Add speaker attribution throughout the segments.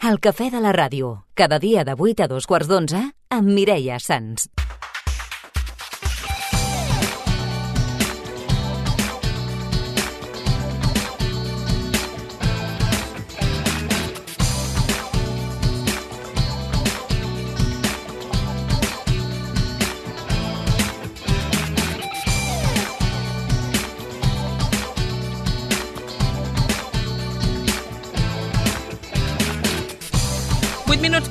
Speaker 1: El cafè de la ràdio, cada dia de 8 a 2:15 amb Mireia Sans.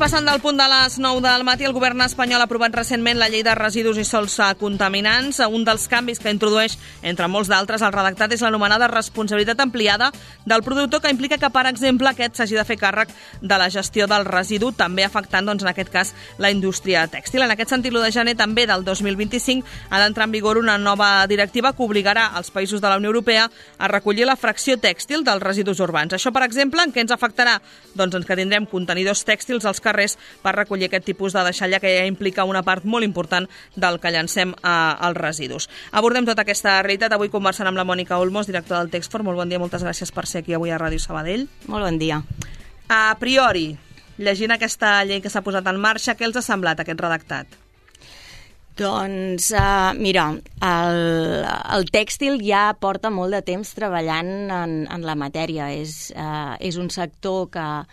Speaker 2: Passant del punt de les 9 del matí, el govern espanyol ha aprovat recentment la llei de residus i sòls contaminants. Un dels canvis que introdueix, entre molts d'altres, el redactat és l'anomenada responsabilitat ampliada del productor, que implica que, per exemple, aquest s'hagi de fer càrrec de la gestió del residu, també afectant, doncs, en aquest cas, la indústria tèxtil. En aquest sentit, l'1 de gener també del 2025 ha d'entrar en vigor una nova directiva que obligarà els països de la Unió Europea a recollir la fracció tèxtil dels residus urbans. Això, per exemple, en què ens afectarà? Doncs en que tindrem contenidors tèxtils als carrers per recollir aquest tipus de deixalla, que ja implica una part molt important del que llancem als residus. Abordem tota aquesta realitat avui conversant amb la Mònica Olmos, directora del Texfor. Molt bon dia, moltes gràcies per ser aquí avui a Ràdio Sabadell.
Speaker 3: Molt bon dia.
Speaker 2: A priori, llegint aquesta llei que s'ha posat en marxa, què els ha semblat aquest redactat?
Speaker 3: Doncs, mira, el tèxtil ja porta molt de temps treballant en la matèria. És un sector que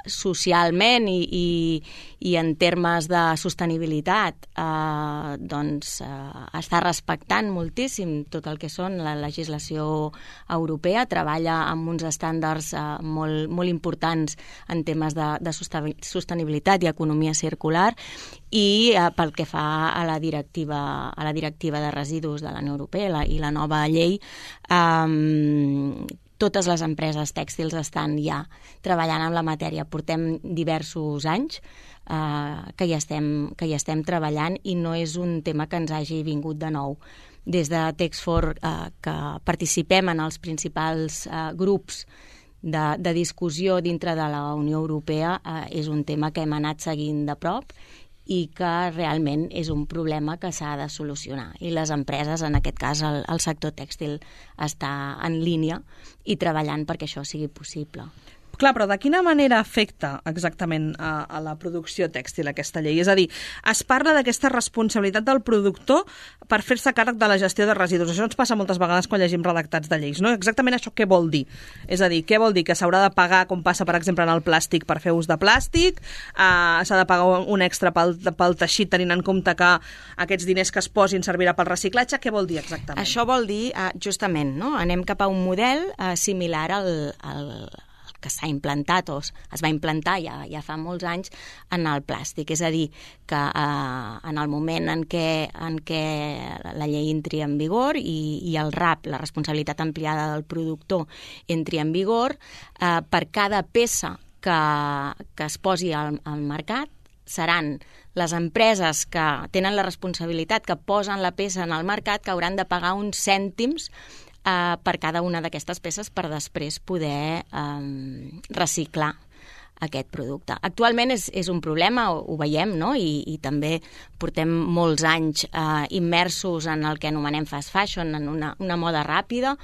Speaker 3: socialment i en termes de sostenibilitat està respectant moltíssim tot el que són la legislació europea, treballa amb uns estàndards molt importants en temes de sostenibilitat i economia circular, i pel que fa a la directiva de residus de la Unió Europea i la nova llei, totes les empreses tèxtils estan ja treballant amb la matèria. Portem diversos anys que hi estem treballant, i no és un tema que ens hagi vingut de nou. Des de Texfor, que participem en els principals grups de discussió dintre de la Unió Europea, és un tema que hem anat seguint de prop i que realment és un problema que s'ha de solucionar. I les empreses, en aquest cas el sector tèxtil, està en línia i treballant perquè això sigui possible.
Speaker 2: Clar, però de quina manera afecta exactament a la producció tèxtil aquesta llei? És a dir, es parla d'aquesta responsabilitat del productor per fer-se càrrec de la gestió de residus. Això ens passa moltes vegades quan llegim redactats de lleis, no? Exactament això què vol dir? És a dir, què vol dir? Que s'haurà de pagar, com passa, per exemple, en el plàstic, per fer ús de plàstic? S'ha de pagar un extra pel teixit, tenint en compte que aquests diners que es posin servirà pel reciclatge? Què vol dir exactament?
Speaker 3: Això vol dir, justament, no? Anem cap a un model similar al que s'ha implantat o es va implantar ja fa molts anys en el plàstic. És a dir, que en el moment en què la llei entri en vigor i el RAP, la responsabilitat ampliada del productor, entri en vigor, per cada peça que es posi al mercat seran les empreses que tenen la responsabilitat, que posen la peça en el mercat, que hauran de pagar uns cèntims per cada una d'aquestes peces per després poder reciclar aquest producte. Actualment és un problema, ho veiem, no? I també portem molts anys immersos en el que anomenem fast fashion, en una moda ràpida.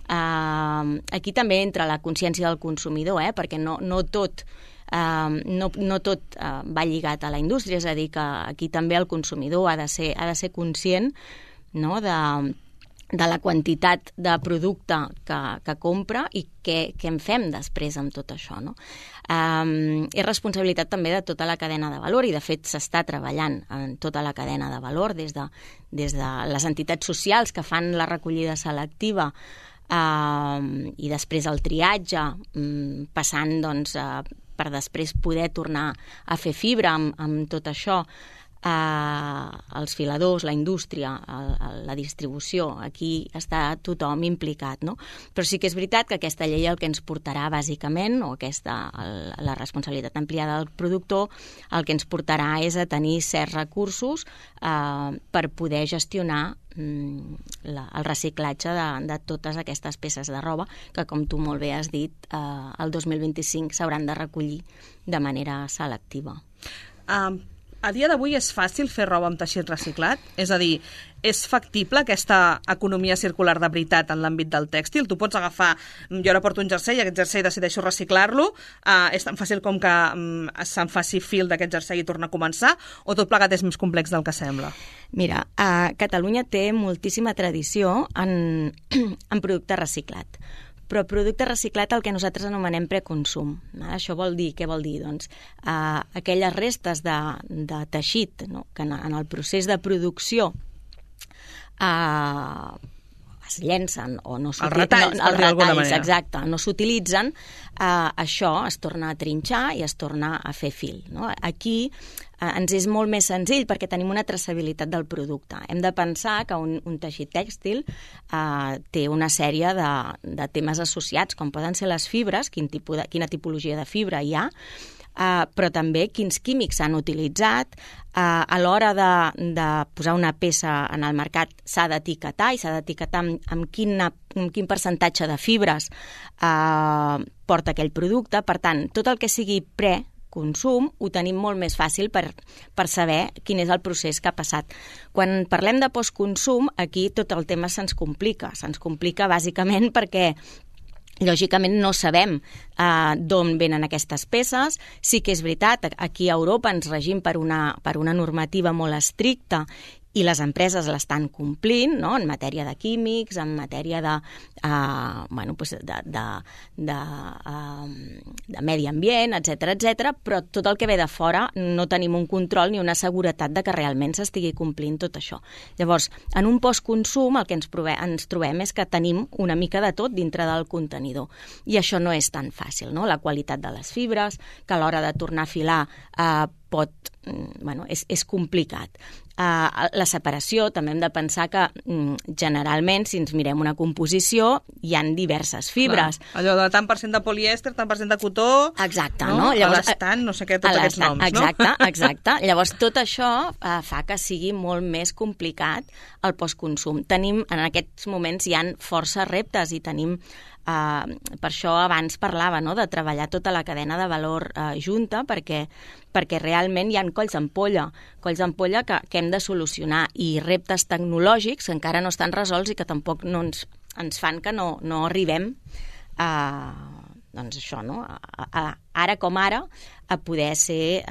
Speaker 3: Aquí també entra la consciència del consumidor, perquè no tot va lligat a la indústria, és a dir, que aquí també el consumidor ha de ser conscient, no?, de la quantitat de producte que compra i què en fem després amb tot això, no? És responsabilitat també de tota la cadena de valor, i de fet s'està treballant en tota la cadena de valor, des de les entitats socials que fan la recollida selectiva i després el triatge, passant doncs per després poder tornar a fer fibra amb tot això, els filadors, la indústria, la distribució, aquí està tothom implicat, no? Però sí que és veritat que aquesta llei el que ens portarà bàsicament, o la responsabilitat ampliada del productor, el que ens portarà és a tenir certs recursos per poder gestionar el reciclatge de totes aquestes peces de roba que, com tu molt bé has dit, el 2025 s'hauran de recollir de manera selectiva.
Speaker 2: A dia d'avui és fàcil fer roba amb teixit reciclat? És a dir, és factible aquesta economia circular de veritat en l'àmbit del tèxtil? Tu pots agafar, jo ara porto un jersei i aquest jersei decideixo reciclar-lo, és tan fàcil com que se'n faci fil d'aquest jersei i torna a començar, o tot plegat és més complex del que sembla?
Speaker 3: Mira, Catalunya té moltíssima tradició en producte reciclat. Però producte reciclat el que nosaltres anomenem preconsum. Això què vol dir? Doncs aquelles restes de teixit, no? Que en el procés de producció es llencen o no s'utilitzen. Els retalls, exacte, no s'utilitzen, això es torna a trinxar i es torna a fer fil. No? Aquí ens és molt més senzill perquè tenim una traçabilitat del producte. Hem de pensar que un teixit tèxtil té una sèrie de temes associats, com poden ser les fibres, quina tipologia de fibra hi ha, però també quins químics s'han utilitzat. A l'hora de posar una peça en el mercat s'ha d'etiquetar i s'ha d'etiquetar amb quin percentatge de fibres porta aquell producte. Per tant, tot el que sigui consum ho tenim molt més fàcil per saber quin és el procés que ha passat. Quan parlem de postconsum, aquí tot el tema se'ns complica. Se'ns complica bàsicament perquè lògicament no sabem d'on venen aquestes peces. Sí que és veritat, aquí a Europa ens regim per una normativa molt estricta i les empreses l'estan complint, no? En matèria de químics, en matèria de medi ambient, etc, però tot el que ve de fora no tenim un control ni una seguretat de que realment s'estigui complint tot això. Llavors, en un postconsum el que ens trobem és que tenim una mica de tot dintre del contenidor i això no és tan fàcil, no? La qualitat de les fibres, que a l'hora de tornar a filar és complicat. La separació, també hem de pensar que generalment, si ens mirem una composició, hi han diverses fibres.
Speaker 2: Clar, allò de tant per cent de polièster, tant per cent de cotó...
Speaker 3: Exacte,
Speaker 2: no? Llavors, l'estant, no sé què, tots aquests noms,
Speaker 3: no? Exacte. Llavors, tot això fa que sigui molt més complicat el postconsum. En aquests moments hi ha força reptes i tenim... per això abans parlava, no?, de treballar tota la cadena de valor junta perquè realment hi ha colls d'ampolla que hem de solucionar i reptes tecnològics que encara no estan resolts i que tampoc no ens fan que no arribem doncs això, no? Ara com ara a poder ser...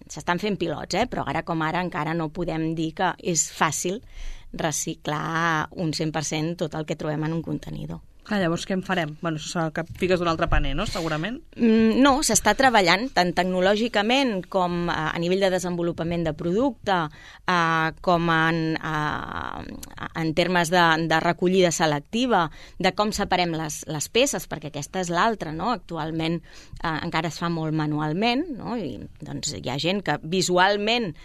Speaker 3: s'estan fent pilots, però ara com ara encara no podem dir que és fàcil reciclar un 100% tot el que trobem en un contenidor.
Speaker 2: Llavors, què en farem? Bueno, això serà que fiques d'un altre paner, no?, segurament?
Speaker 3: No, s'està treballant tant tecnològicament com a nivell de desenvolupament de producte, com en termes de recollida selectiva, de com separem les peces, perquè aquesta és l'altra, no? Actualment encara es fa molt manualment, no? I doncs hi ha gent que visualment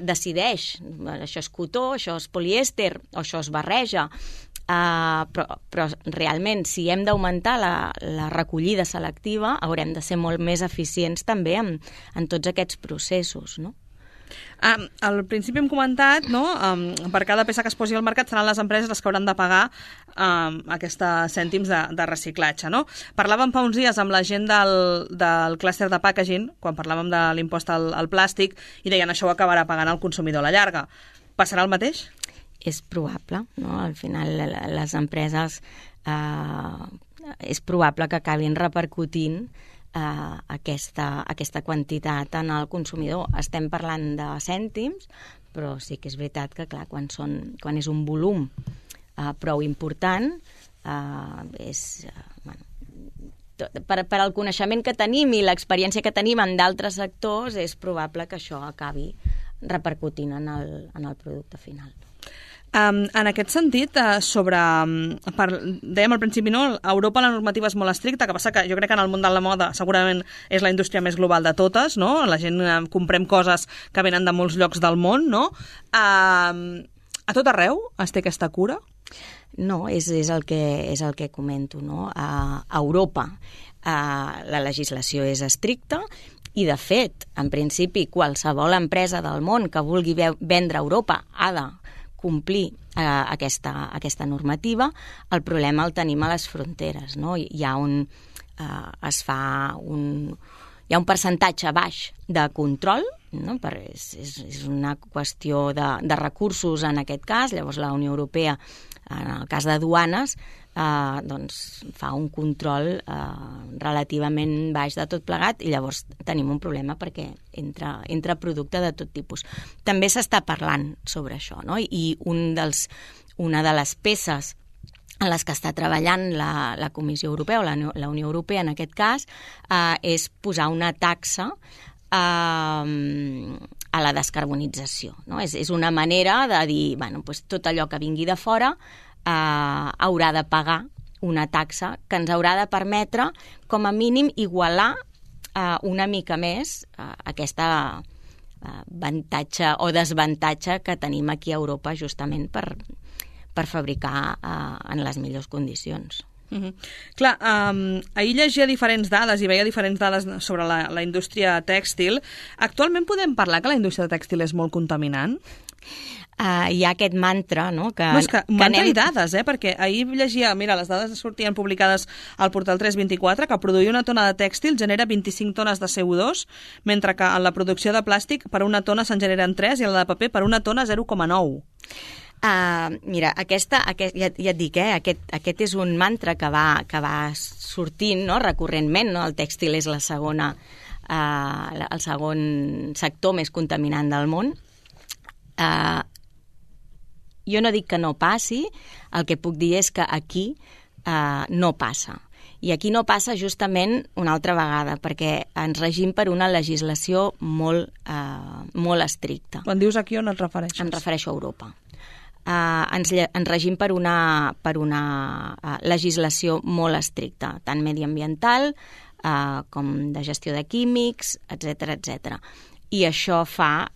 Speaker 3: decideix, això és cotó, això és polièster, o això es barreja, però realment si hem d'augmentar la recollida selectiva haurem de ser molt més eficients també en tots aquests processos, no?
Speaker 2: Al principi hem comentat, no?, per cada peça que es posi al mercat seran les empreses les que hauran de pagar aquests cèntims de reciclatge, no? Parlàvem fa uns dies amb la gent del clúster de packaging, quan parlàvem de l'impost al plàstic, i deien això ho acabarà pagant el consumidor a la llarga. Passarà el mateix?
Speaker 3: És probable, no? Al final les empreses és probable que acabin repercutint aquesta quantitat en el consumidor. Estem parlant de cèntims, però sí que és veritat que, clar, quan és un volum prou important, per al coneixement que tenim i l'experiència que tenim en d'altres sectors, és probable que això acabi repercutint en el producte final.
Speaker 2: En aquest sentit, dèiem al principi, no? A Europa la normativa és molt estricta, que passa que jo crec que en el món de la moda segurament és la indústria més global de totes, no? La gent comprem coses que venen de molts llocs del món, no? A tot arreu es té aquesta cura?
Speaker 3: No, és el que comento, no? A Europa la legislació és estricta i, de fet, en principi, qualsevol empresa del món que vulgui vendre a Europa ha de complir aquesta normativa. El problema el tenim a les fronteres, no? Hi ha un percentatge baix de control no? És una qüestió de recursos en aquest cas. Llavors la Unió Europea, en el cas de duanes, doncs fa un control relativament baix de tot plegat i llavors tenim un problema perquè entra producte de tot tipus. També s'està parlant sobre això, no? I una de les peces en les que està treballant la Comissió Europea o la Unió Europea en aquest cas és posar una taxa a la descarbonització, no? És una manera de dir, bueno, doncs tot allò que vingui de fora haurà de pagar una taxa que ens haurà de permetre, com a mínim, igualar una mica més aquesta avantatge o desavantatge que tenim aquí a Europa justament per fabricar en les millors condicions.
Speaker 2: Clar, ahir llegia diferents dades i veia diferents dades sobre la indústria tèxtil. Actualment podem parlar que la indústria tèxtil és molt contaminant?
Speaker 3: Hi ha aquest mantra, no?
Speaker 2: És que mantra i dades, perquè ahir llegia, mira, les dades sortien publicades al portal 324, que produir una tona de tèxtil genera 25 tones de CO2, mentre que en la producció de plàstic per una tona se'n generen 3 i en la de paper per una tona 0,9.
Speaker 3: Mira, ja et dic, aquest és un mantra que va sortint, no? Recurrentment, no? El tèxtil és el segon sector més contaminant del món. Jo no dic que no passi, el que puc dir és que aquí no passa. I aquí no passa justament una altra vegada, perquè ens regim per una legislació molt estricta.
Speaker 2: Quan dius aquí, on et refereixes?
Speaker 3: Em refereixo a Europa. Ens regim per una legislació molt estricta, tant mediambiental com de gestió de químics, etc. I això fa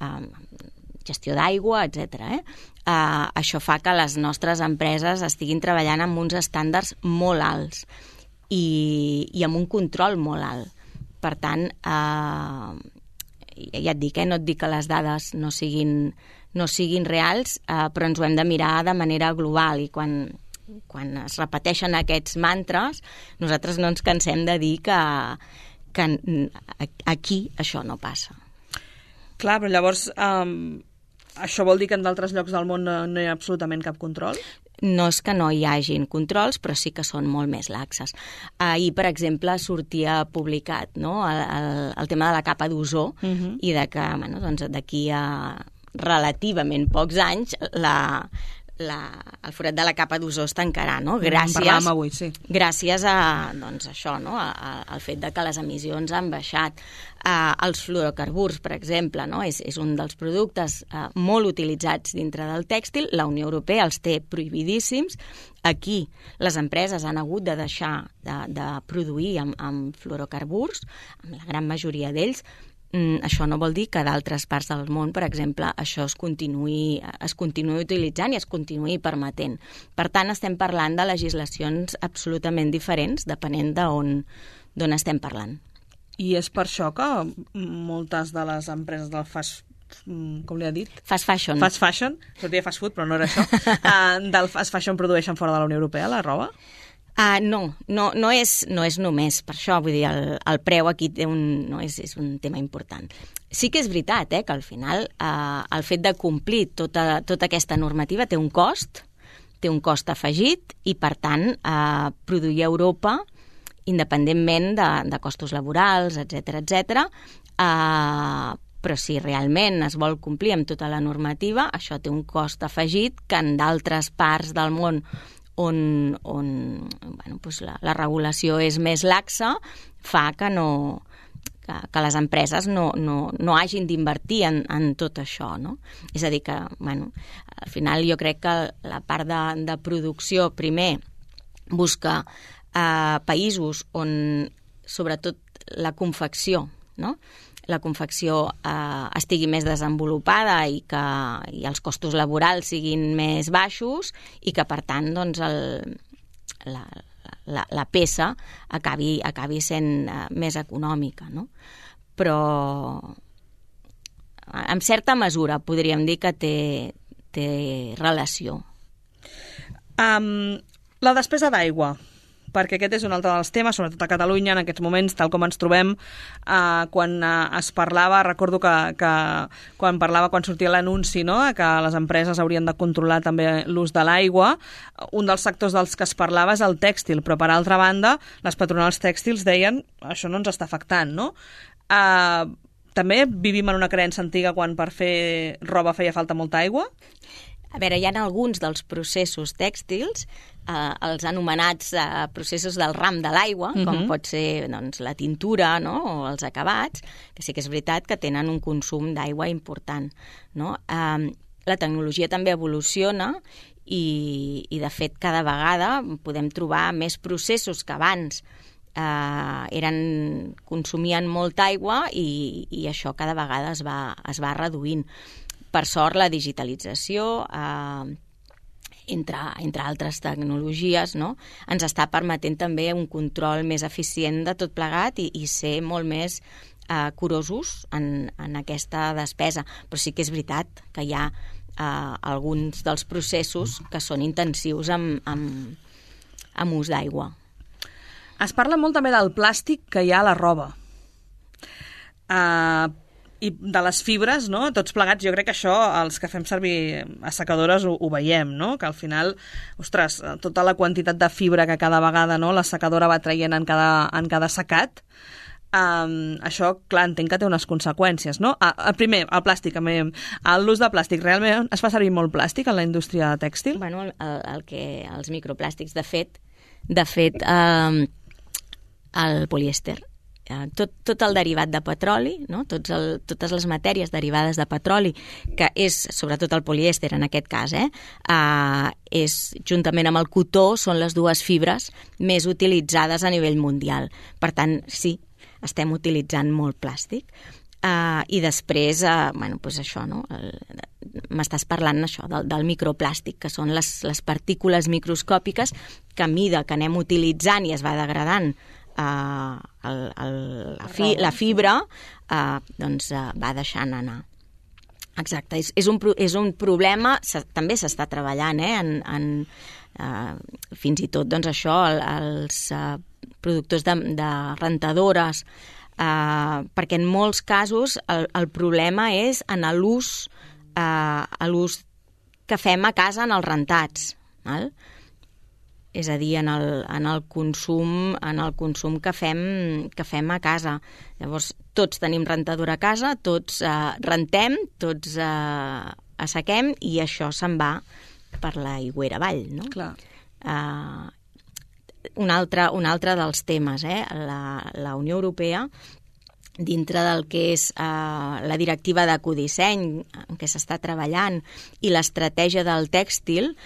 Speaker 3: gestió d'aigua, etc. Això fa que les nostres empreses estiguin treballant amb uns estàndards molt alts i amb un control molt alt. Per tant, ja et dic, no et dic que les dades no siguin reals, però ens ho hem de mirar de manera global i quan es repeteixen aquests mantres, nosaltres no ens cansem de dir que aquí això no passa.
Speaker 2: Clar, però llavors això vol dir que en d'altres llocs del món no hi ha absolutament cap control?
Speaker 3: No és que no hi hagin controls, però sí que són molt més laxes. Ahir, per exemple, sortia publicat, no? el tema de la capa d'ozó i de que doncs, d'aquí a relativament pocs anys el forat de la capa d'ozó es tancarà, no?
Speaker 2: Parlàvem avui, sí.
Speaker 3: Gràcies a doncs, això, no? Al fet de que les emissions han baixat. Els fluorocarburs, per exemple, no? És un dels productes molt utilitzats dintre del tèxtil. La Unió Europea els té prohibidíssims. Aquí les empreses han hagut de deixar de produir amb fluorocarburs, amb la gran majoria d'ells. Això no vol dir que d'altres parts del món, per exemple, això es continuï utilitzant i es continuï permetent. Per tant, estem parlant de legislacions absolutament diferents, depenent d'on estem parlant.
Speaker 2: I és per això que moltes de les empreses del com li ha dit?
Speaker 3: Fast fashion.
Speaker 2: Fast fashion, sortia fast food, però no era això. Del fast fashion produeixen fora de la Unió Europea, la roba?
Speaker 3: No és només per això, vull dir, el preu aquí és un tema important. Sí que és veritat que al final el fet de complir tota aquesta normativa té un cost afegit i, per tant, produir a Europa, independentment de costos laborals, etc., però si realment es vol complir amb tota la normativa, això té un cost afegit que en d'altres parts del món on doncs la regulació és més laxa, fa que les empreses no hagin d'invertir en tot això, no? És a dir, que al final jo crec que la part de producció primer busca països on sobretot la confecció, no? La confecció estigui més desenvolupada i els costos laborals siguin més baixos i que, per tant, doncs, la peça acabi sent més econòmica, no? Però, en certa mesura, podríem dir que té relació.
Speaker 2: La despesa d'aigua perquè aquest és un altre dels temes, sobretot a Catalunya, en aquests moments, tal com ens trobem, quan es parlava, recordo que quan sortia l'anunci, no?, que les empreses haurien de controlar també l'ús de l'aigua, un dels sectors dels que es parlava és el tèxtil, però per altra banda, les patronals tèxtils deien això no ens està afectant, no? També vivim en una creença antiga quan per fer roba feia falta molta aigua?
Speaker 3: A veure, hi ha alguns dels processos tèxtils, els anomenats processos del ram de l'aigua, com pot ser doncs, la tintura, no?, o els acabats, que sí que és veritat que tenen un consum d'aigua important, no? La tecnologia també evoluciona i de fet, cada vegada podem trobar més processos que abans consumien molta aigua i això cada vegada es va reduint. Per sort, la digitalització, entre altres tecnologies, no?, ens està permetent també un control més eficient de tot plegat i ser molt més curosos en aquesta despesa. Però sí que és veritat que hi ha alguns dels processos que són intensius amb ús d'aigua.
Speaker 2: Es parla molt també del plàstic que hi ha a la roba. I de les fibres, no?, tots plegats, jo crec que això, els que fem servir assecadores ho veiem, no?, que al final, ostres, tota la quantitat de fibra que cada vegada, no?, l'assecadora va traient en cada secat, això, clar, entenc que té unes conseqüències, no? Primer, el plàstic, l'ús de plàstic, realment es fa servir molt plàstic en la indústria tèxtil?
Speaker 3: Bueno, els microplàstics, de fet, el polièster, tot el derivat de petroli, no?, totes les matèries derivades de petroli, que és, sobretot el polièster en aquest cas, és, juntament amb el cotó, són les dues fibres més utilitzades a nivell mundial. Per tant, sí, estem utilitzant molt plàstic. I després, doncs això, no?, m'estàs parlant això, del microplàstic, que són les partícules microscòpiques que a mida que anem utilitzant i es va degradant la fibra, doncs va deixant anar. Exacte, és un problema, també s'està treballant, fins i tot, doncs això, els productors de rentadores, perquè en molts casos el problema és en l'ús que fem a casa en els rentats, val? És a dir, en el consum que fem a casa. Llavors, tots tenim rentadora a casa, tots rentem, tots assequem i això se'n va per l'aigüera avall, no?
Speaker 2: Clar.
Speaker 3: Un altre dels temes, la Unió Europea, dintre del que és la directiva d'ecodisseny en què s'està treballant i l'estratègia del tèxtil,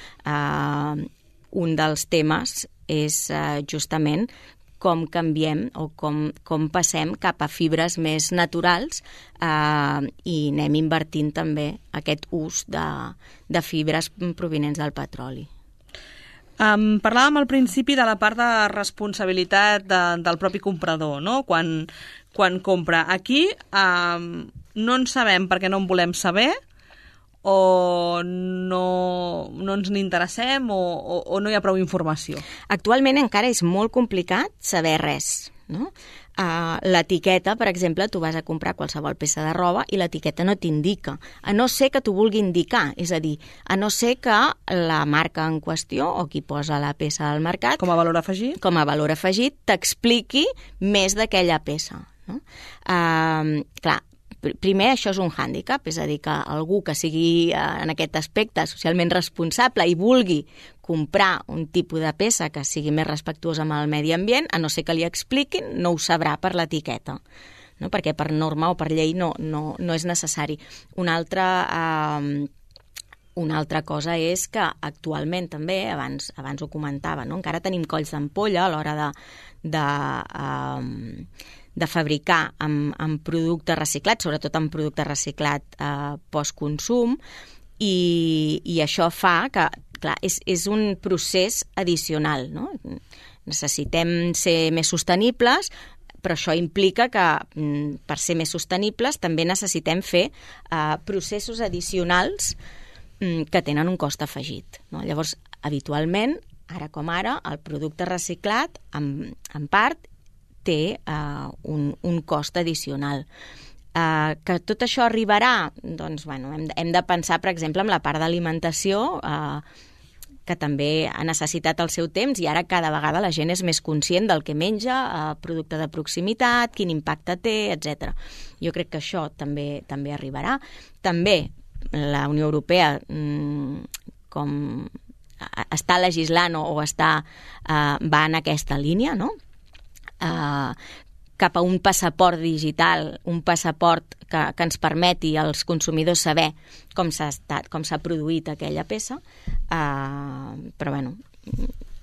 Speaker 3: un dels temes és justament com canviem o com passem cap a fibres més naturals i anem invertint també aquest ús de fibres provinents del petroli.
Speaker 2: Parlàvem al principi de la part de responsabilitat del propi comprador, no?, quan compra. Aquí no en sabem perquè no en volem saber, o no ens n'interessem o no hi ha prou informació?
Speaker 3: Actualment encara és molt complicat saber res, no? L'etiqueta, per exemple, tu vas a comprar qualsevol peça de roba i l'etiqueta no t'indica, a no ser que t'ho vulgui indicar, és a dir, a no ser que la marca en qüestió o qui posa la peça al mercat,
Speaker 2: com a valor afegit,
Speaker 3: t'expliqui més d'aquella peça, no? Clar, primer, això és un hàndicap, és a dir, que algú que sigui en aquest aspecte socialment responsable i vulgui comprar un tipus de peça que sigui més respectuosa amb el medi ambient, a no ser que li expliquin, no ho sabrà per l'etiqueta, no? Perquè per norma o per llei no és necessari. Una altra cosa és que actualment també, abans ho comentava, no?, encara tenim colls d'ampolla a l'hora de fabricar amb producte reciclat, sobretot amb producte reciclat postconsum, i això fa que, clar, és un procés addicional, no? Necessitem ser més sostenibles, però això implica que per ser més sostenibles també necessitem fer processos addicionals que tenen un cost afegit, no? Llavors, habitualment, ara com ara, el producte reciclat, en part, té un cost addicional. Que tot això arribarà? Doncs, bueno, hem de pensar, per exemple, en la part d'alimentació, que també ha necessitat el seu temps i ara cada vegada la gent és més conscient del que menja, producte de proximitat, quin impacte té, etc. Jo crec que això també arribarà. També la Unió Europea, com està legislant o va en aquesta línia, no? Cap a un passaport digital, un passaport que ens permeti als consumidors saber com s'ha produït aquella peça, però bueno,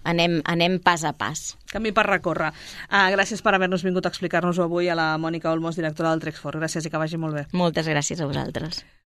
Speaker 3: anem pas a pas.
Speaker 2: Camí per recórrer. Gràcies per haver-nos vingut a explicar-nos-ho avui a la Mònica Olmos, directora del Trexfor. Gràcies i que vagi molt bé.
Speaker 3: Moltes gràcies a vosaltres.